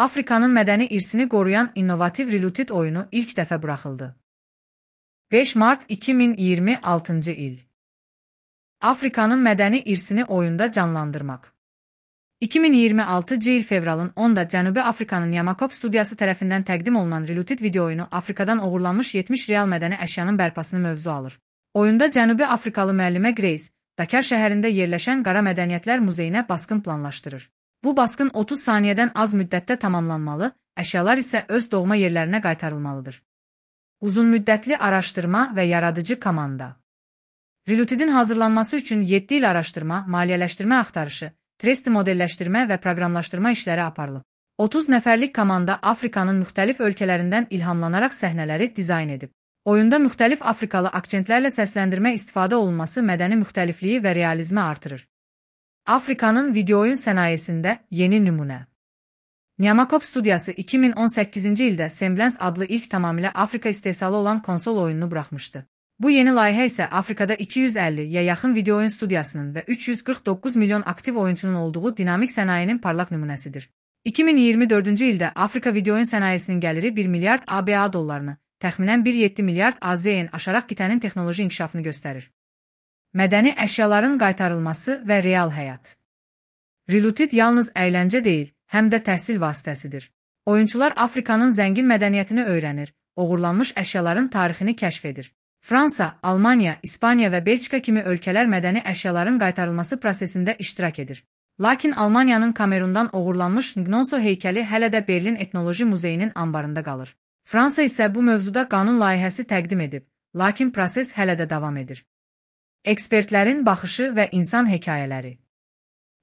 Afrikanın mədəni irsini qoruyan innovativ Reloaded oyunu ilk dəfə buraxıldı. 5 Mart 2026-cı il. Afrikanın mədəni irsini oyunda canlandırmaq. 2026-cı il fevralın 10-da Cənubi Afrikanın Yamakop studiyası tərəfindən təqdim olunan Reloaded video oyunu Afrikadan oğurlanmış 70 real mədəni əşyanın bərpasını mövzu alır. Oyunda Cənubi Afrikalı müəllimə Grace, Dakar şəhərində yerləşən Qara Mədəniyyətlər Muzeyinə basqın planlaşdırır. Bu basqın 30 saniyədən az müddətdə tamamlanmalı, əşyalar isə öz doğma yerlərinə qaytarılmalıdır. Uzunmüddətli araşdırma və yaradıcı komanda. Reloaded'in hazırlanması üçün 7 il araşdırma, maliyyələşdirmə axtarışı, tresti modelləşdirmə və proqramlaşdırma işləri aparılıb. 30 nəfərlik komanda Afrikanın müxtəlif ölkələrindən ilhamlanaraq səhnələri dizayn edib. Oyunda müxtəlif Afrikalı akçentlərlə səsləndirmə istifadə olunması mədəni müxtəlifliyi və realizmi artırır. Afrikanın video oyun sənayesində yeni nümunə. Yamakop studiyası 2018-ci ildə Semblance adlı ilk tamamilə Afrika istehsalı olan konsol oyununu buraxmışdı. Bu yeni layihə isə Afrikada 250-yə yaxın video oyun studiyasının və 349 milyon aktiv oyunçunun olduğu dinamik sənayenin parlaq nümunəsidir. 2024-cü ildə Afrika video oyun sənayesinin gəliri 1 milyard ABA dollarını, təxminən 1,7 milyard AZN aşaraq qitənin texnoloji inkişafını göstərir. Mədəni əşyaların qaytarılması və real həyat. Reloaded yalnız əyləncə deyil, həm də təhsil vasitəsidir. Oyunçular Afrikanın zəngin mədəniyyətini öyrənir, oğurlanmış əşyaların tarixini kəşf edir. Fransa, Almaniya, İspaniya və Belçika kimi ölkələr mədəni əşyaların qaytarılması prosesində iştirak edir. Lakin Almaniyanın Kamerundan oğurlanmış Gnonso heykəli hələ də Berlin Etnoloji Muzeyinin ambarında qalır. Fransa isə bu mövzuda qanun layihəsi təqdim edib, lakin proses hələ də davam edir. Ekspertlərin baxışı və insan hekayələri.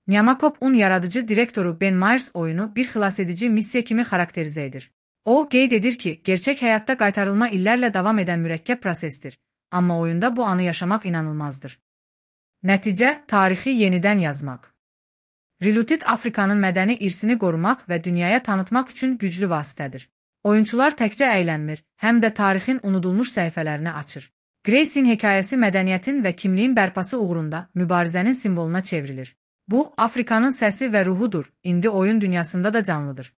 Yamakop'un yaradıcı direktoru Ben Myers oyunu bir xilasedici missiya kimi xarakterizə edir. O, qeyd edir ki, gerçək həyatda qaytarılma illərlə davam edən mürəkkəb prosesdir, amma oyunda bu anı yaşamaq inanılmazdır. Nəticə, tarixi yenidən yazmaq. Reloaded Afrikanın mədəni irsini qorumaq və dünyaya tanıtmaq üçün güclü vasitədir. Oyunçular təkcə əylənmir, həm də tarixin unudulmuş səhifələrini açır. Grace'in hekayəsi mədəniyyətin və kimliyin bərpası uğrunda mübarizənin simvoluna çevrilir. Bu, Afrikanın səsi və ruhudur, indi oyun dünyasında da canlıdır.